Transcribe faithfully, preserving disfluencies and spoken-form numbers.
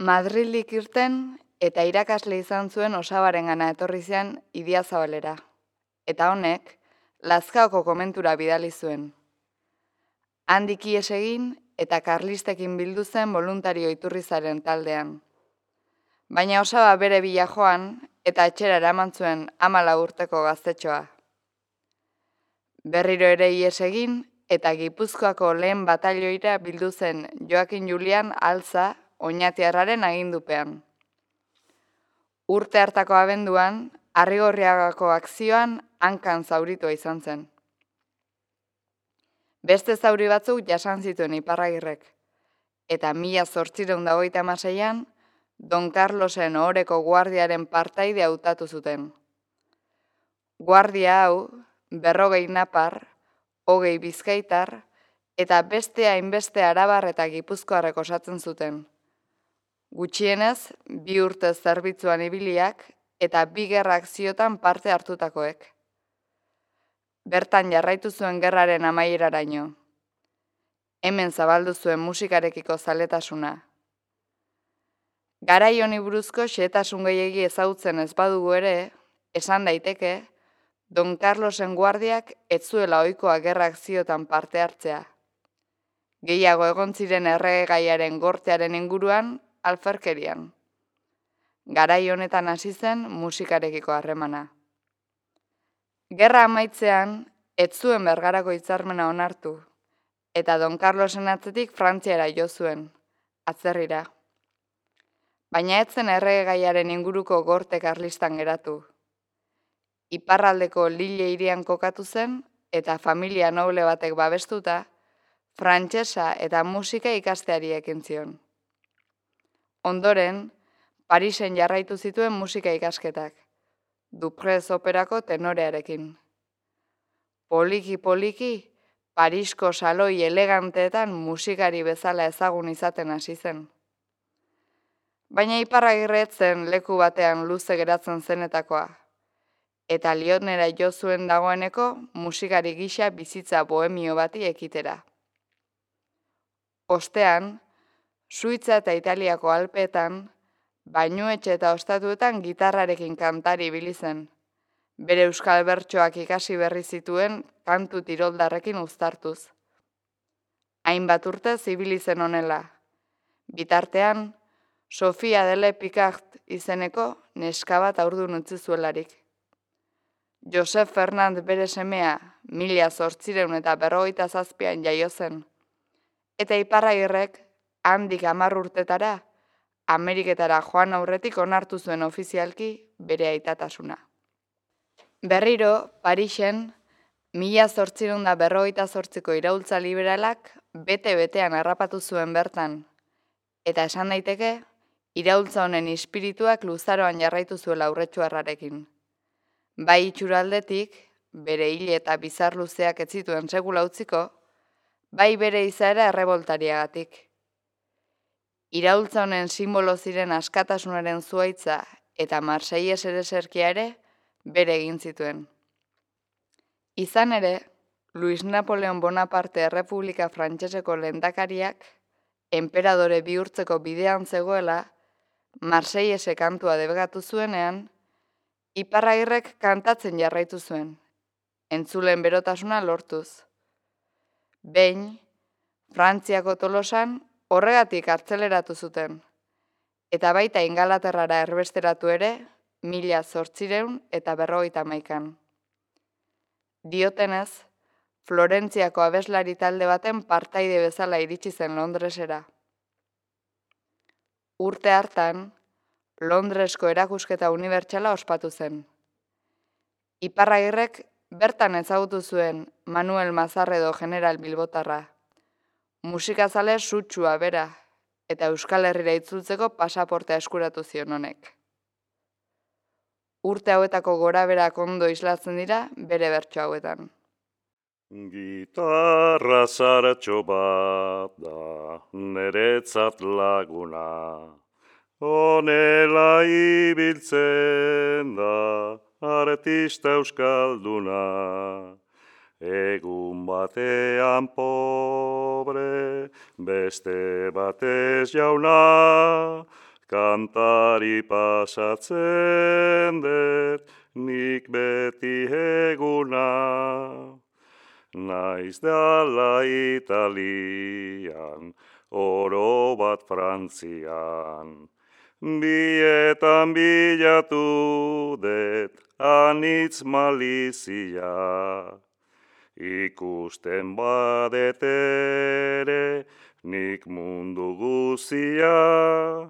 Madrildik irten eta irakasle izan zuen Osabarengana etorri zian Idiazabalera. Eta honek, Lazkaoko komentura bidali zuen. Handik ihes egin eta karlistekin bildu zen voluntario Iturrizaren taldean. Baina Osaba bere bila joan eta etxera eraman zuen hamalau urteko gaztetxoa. Berriro ere ihes egin eta Gipuzkoako lehen batalioira bildu zen Joakin Julian Altza oinatiarraren agindupean. Urte hartako abenduan, Arrigorriagako akzioan hankan zauritua izan zen. Beste zauri batzuk jasan zituen Iparragirrek, eta mila zortziehun eta hogeita hamaseian Don Carlosen ohoreko guardiaren partaide hautatu zuten. Guardia hau, berrogei napar, hogei bizkaitar, eta beste hainbeste arabar eta gipuzkoarrek osatzen zuten. Gutxienez, bi urte zerbitzuan ibiliak eta bi gerra akziotan parte hartutakoek. Bertan jarraitu zuen gerraren amaieraraino. Hemen zabaldu zuen musikarekiko zaletasuna. Garai honi buruzko xehetasun gehiegi ezagutzen ez badugu ere, esan daiteke, Don Carlosen guardiak ez zuela ohikoa gerra akziotan parte hartzea. Gehiago egon ziren erregegaiaren gortearen inguruan, alferkerian. Garai honetan hasi zen musikarekiko harremana. Gerra amaitzean, ez zuen Bergarako hitzarmena onartu, eta Don Carlosen atzetik Frantziara jo zuen, atzerrira. Baina ez zen erregegaiaren inguruko gorte karlistan geratu. Iparraldeko Lille hirian kokatu zen, eta familia noble batek babestuta, frantsesa eta musika ikasteari ekin zion. Ondoren, Parisen jarraitu zituen musika ikasketak, Duprez operako tenorearekin. Poliki-poliki, Parisko saloi eleganteetan musikari bezala ezagun izaten hasi zen. Baina Iparragirre ez zen leku batean luze geratzen zenetakoa, eta Lyonnera jo zuen dagoeneko musikari gisa bizitza bohemio bati ekitera. Ostean, Suitza eta Italiako Alpeetan, bainuetxe eta ostatuetan gitarrarekin kantari ibili zen, bere euskal bertsoak ikasi berri zituen kantu tiroldarrekin uztartuz. Hainbat urtez ibili zen honela. Bitartean, Sofia Delle Picard izeneko neska bat haurdun utzi zuelarik. Josep Fernand bere semea mila zortziehun eta berrogeita zazpian jaio zen, eta Iparragirrek handik hamar urtetara Ameriketara joan aurretik onartu zuen ofizialki bere aitatasuna. Berriro, Parisen, mila zortziehun eta berrogeita zortziko iraultza liberalak bete-betean harrapatu zuen bertan, eta esan daiteke, iraultza honen ispirituak luzaroan jarraitu zuela Aurretxuarrarekin. Bai itxuraldetik, bere hile eta bizar luzeak ez zituen sekula utziko, bai bere izaera erreboltariagatik. Iraultza honen simbolo ziren askatasunaren zuhaitza eta Marseies ereserkia ere bere egin zituen. Izan ere, Luis Napoleon Bonaparte Errepublika Frantseseko lehendakariak, enperadore bihurtzeko bidean zegoela, Marseiese kantua debekatu zuenean, Iparragirrek kantatzen jarraitu zuen, entzuleen berotasuna lortuz. Behin, Frantziako Tolosan horregatik hartzeleratu zuten, eta baita Ingalaterrara erbesteratu ere, mila zortziehun eta berrogeita hamaikan. Diotenez, Florentziako abeslari talde baten partaide bezala iritsi zen Londresera. Urte hartan, Londresko erakusketa unibertsala ospatu zen. Iparragirrek bertan ezagutu zuen Manuel Mazarredo general bilbotarra, musikazale sutsua bera, eta Euskal Herrira itzultzeko pasaportea eskuratu zion honek. Urte hauetako gorabeherak ondo islatzen dira bere bertso hauetan. Gitarra zaratxo bat da neretzat laguna, honela ibiltzen da artista euskalduna. Egun batean pobre, beste batez jauna, kantari pasatzen dut, nik beti eguna. Naiz dala Italian, oro bat Frantzian. Bietan bilatu dut, anitz malizia. Ikusten badet ere, nik mundu guzia.